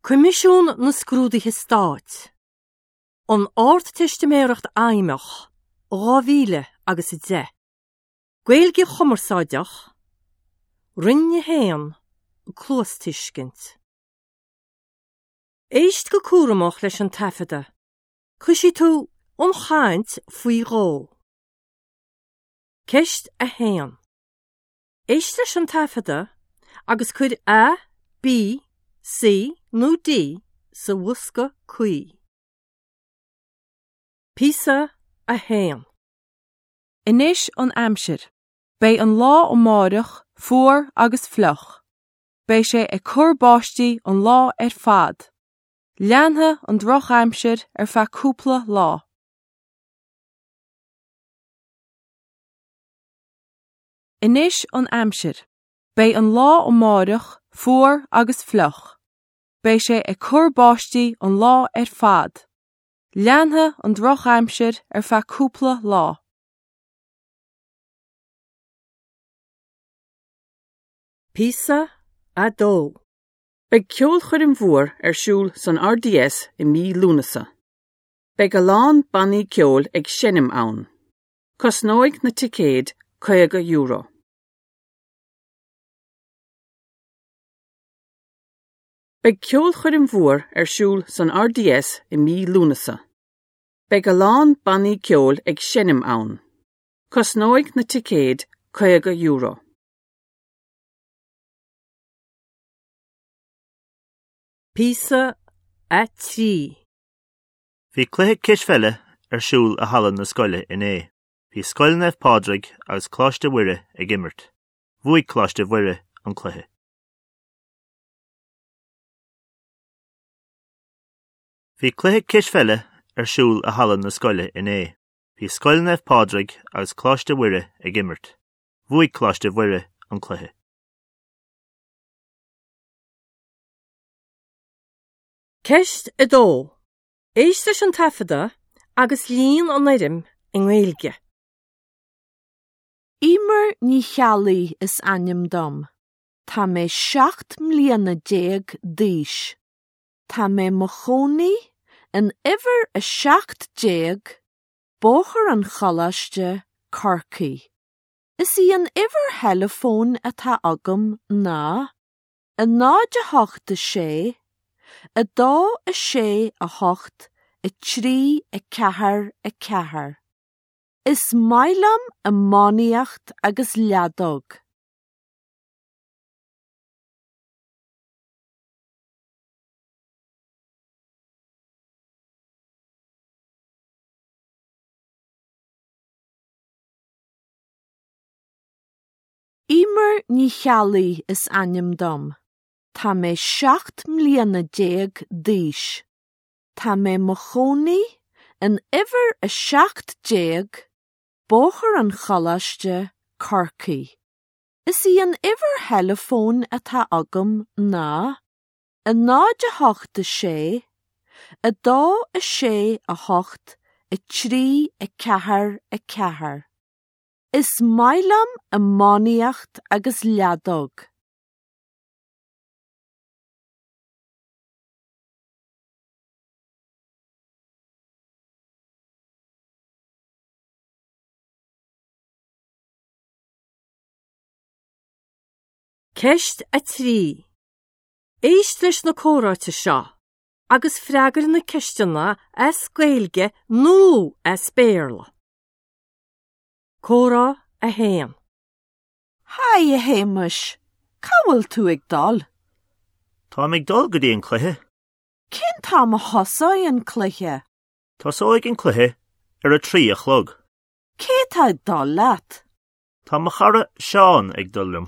Coimisiún na Scrúduithe Stáit, An Ardteistiméireacht Fheidhmeach, 2000 agus 10. Gaeilge Chumarsáideach, Roinn 1, Cluastuiscint. Éist go cúramach leis an taifeadadh. Cloisfidh tú an chaint faoi dhó. Ceist 1. Éist leis an taifeadadh agus cuir A, B, C nó D sa bhosca cuí. Píosa 1. Anois an aimsir. Beidh an lá amárach fuar agus fliuch. Beidh sé ag cur báistí an lá ar fad. Leanfaidh an drochaimsir ar feadh cúpla lá. Anois an aimsir. Beidh an lá amárach fuar agus fliuch. Beidh sé ag cur báistí an lá ar fad. Leanfaidh an drochaimsir ar feadh cúpla lá. Píosa 2. Beidh ceolchoirm mhór ar siúl san RDS i mí Lúnasa. Beidh a lán bannaí ceoil ag seinm ann. Cosnóidh na ticéid €50. Beidh ceolchoirm mhór ar siúl san RDS i mí Lúnasa. Beidh a lán bannaí ceoil ag seinm ann. Cosnóidh na ticéid €50. Píosa 3. Bhí cluiche cispheile ar siúl i halla na scoile inné. Bhí Scoil Naomh Pádraig agus Coláiste Mhuire ag imirt. Bhuaigh Coláiste Mhuire an cluiche. Bhí cluiche cispheile ar siúl i halla na scoile inné. Bhí Scoil Naomh Pádraig agus Coláiste Mhuire ag imirt. Bhuaigh Coláiste Mhuire an cluiche. Ceist 2. Éist leis an taifeadadh agus líon an fhoirm i nGaeilge. Emer Ní Cheallaigh is ainm dom. Tá mé 17 mbliana d'aois. Tá mé mo chónaí in uimhir 17, Bóthar an Choláiste, Corcaigh. Is í an uimhir theileafóin atá agam ná 0 8 6 2 6 8 3 4 4. Is maith liom iománaíocht agus leadóg. Emer Ní Cheallaigh is ainm dom. Tá mé 17 mbliana d'aois. Tá mé mo chónaí in uimhir 17, Bóthar an Choláiste, Corcaigh. Is í an uimhir theileafóin atá agam ná 0 8 6 2 6 8 3 4 4. Is maith liom iománaíocht agus leadóg. Ceist 3. Éist leis na comhráite seo agus freagair na ceisteanna as Gaeilge nó as Béarla. Comhrá 1. Haigh, a Shéamais. Cá bhfuil tú ag dul? Táim ag dul go dtí an cluiche. Cén t-am a thosóidh an cluiche? Tosóidh an cluiche ar a trí a chlog. Cé atá ag dul leat? Tá mo chara Seán ag dul liom.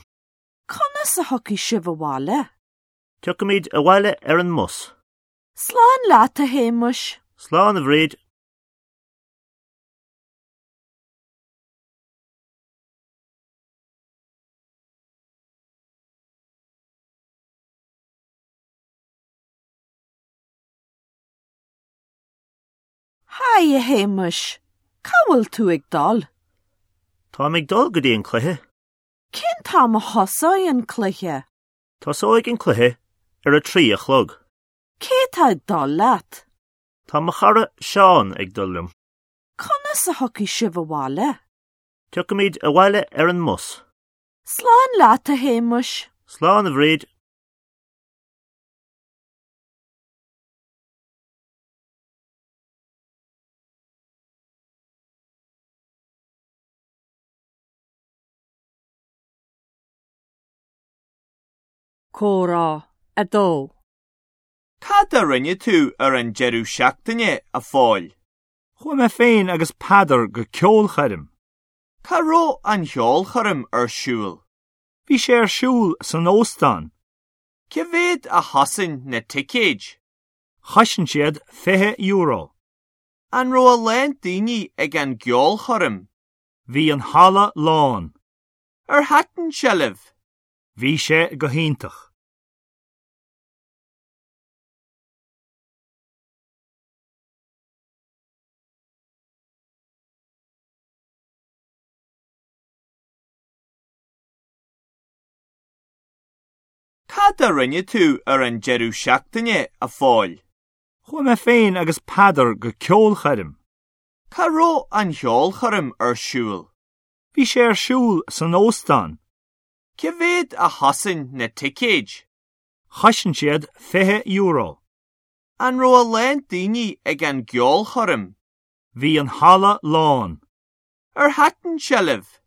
Conas a thiocfaidh sibh abhaile? Tiocfaimid abhaile ar an mbus. Slán leat, a Shéamais. Slán, a Bhríd. Haigh, a Shéamais. Cá bhfuil tú ag dul? Táim ag dul go dtí an cluiche. Cén t-am a thosóidh an cluiche? Tosóidh an cluiche ar a trí a chlog. Cé atá ag dul leat? Tá mo chara Seán ag dul liom. Conas a thiocfaidh sibh abhaile? Tiocfaimid abhaile ar an mbus. Slán leat, a Shéamais. Slán, a Bhríd. Comhrá 2. Cad a rinne tú ar an deireadh seachtaine, a Phóil? Chuaigh mé féin agus Peadar go ceolchoirm. Cá raibh an cheolchoirm ar siúl? Bhí sé ar siúl san óstán. Cé mhéad a chosain na ticéid? Chosain siad €20. An raibh a lán daoine ag an gceolchoirm? Bhí an halla lán. Ar thaitin sé libh? Bhí sé go hiontach. Cad a rinne tú ar an deireadh seachtaine, a Phóil? Chuaigh mé féin agus Peadar go ceolchoirm. Cá raibh an cheolchoirm ar siúl? Bhí sé ar siúl san óstán. Cé mhéad a chosain na ticéid? Chosain siad €20. An raibh a lán daoine ag an gceolchoirm? Bhí an halla lán. Ar thaitin sé libh?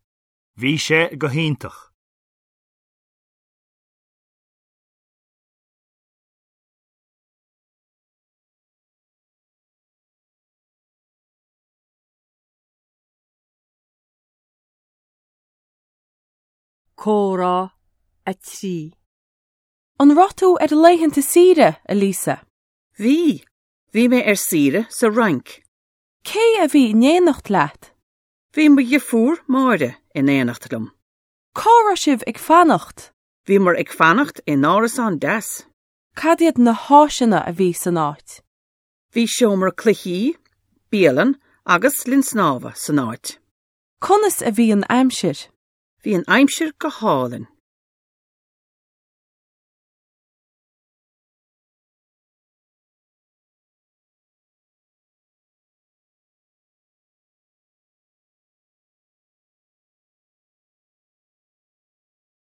Bhí sé go hiontach. Comhrá 3. An raibh tú ar laethanta saoire, a Lisa? Bhí. Bhí mé ar saoire sa Fhrainc. Cé a bhí in éineacht leat? Bhí mo dheirfiúr, Máire, in éineacht liom. Cá raibh sibh ag fanacht? Bhíomar ag fanacht in árasán deas. Cad iad na háiseanna a bhí san áit? Bhí seomra cluichí, bialann agus linn snámha san áit. Conas a bhí an aimsir? Bhí an aimsir go hálainn.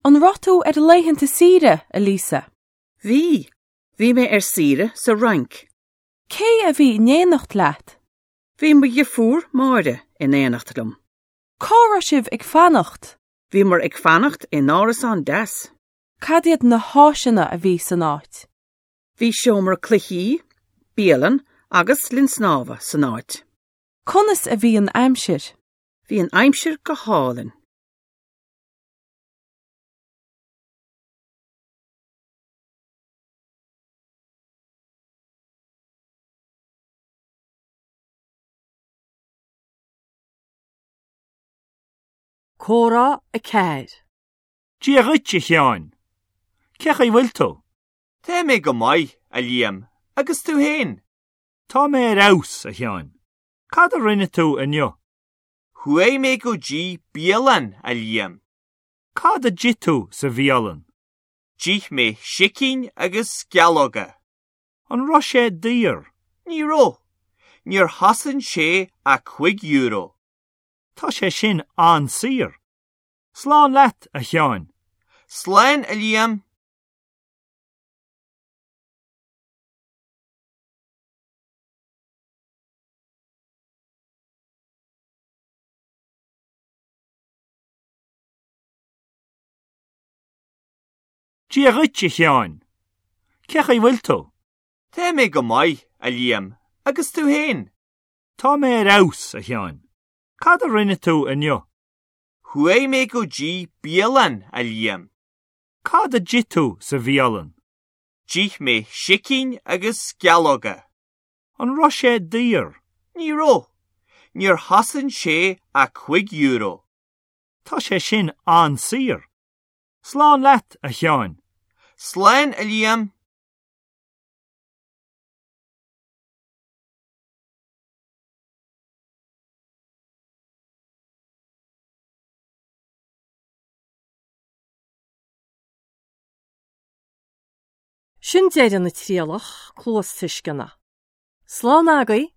An raibh tú ar laethanta saoire, a Lisa? Bhí. Bhí mé ar saoire sa Fhrainc. Cé a bhí in éineacht leat? Bhí mo dheirfiúr, Máire, in éineacht liom. Cá raibh sibh ag fanacht? Bhíomar ag fanacht in árasán deas. Cad iad na háiseanna a bhí san áit? Bhí seomra cluichí, bialann agus linn snámha san áit. Conas a bhí an aimsir? Bhí an aimsir go hálainn. Comhrá 4. Dia dhuit, a Sheáin. Cén chaoi a bhfuil tú? Tá mé go maith, a Liam, agus tú féin? Tá mé ar fheabhas, a Sheáin. Cad a rinne tú inniu? Chuaigh mé go dtí bialann, a Liam. Cad a d'ith tú sa bhialann? D'ith mé sicín agus sceallóga. An raibh sé daor? Ní raibh. Níor chosain sé ach €5. Tá sé sin an-saor. Slán leat, a Sheáin. Slán, a Liam. Dia dhuit, a Sheáin. Cén chaoi a bhfuil tú? Tá mé go maith, a Liam, agus tú féin? Tá mé ar fheabhas, a Sheáin. Cad a rinne tú inniu? Chuaigh mé go dtí bialann, a Liam. Cad a d'ith tú sa bhialann? D'ith mé sicín agus sceallóga. An raibh sé daor? Ní raibh. Níor chosain sé ach €5. Tá sé sin an-saor. Slán leat, a Sheáin. Slán, a Liam. Sin deireadh na trialach cluastuisceana. Slán agaibh!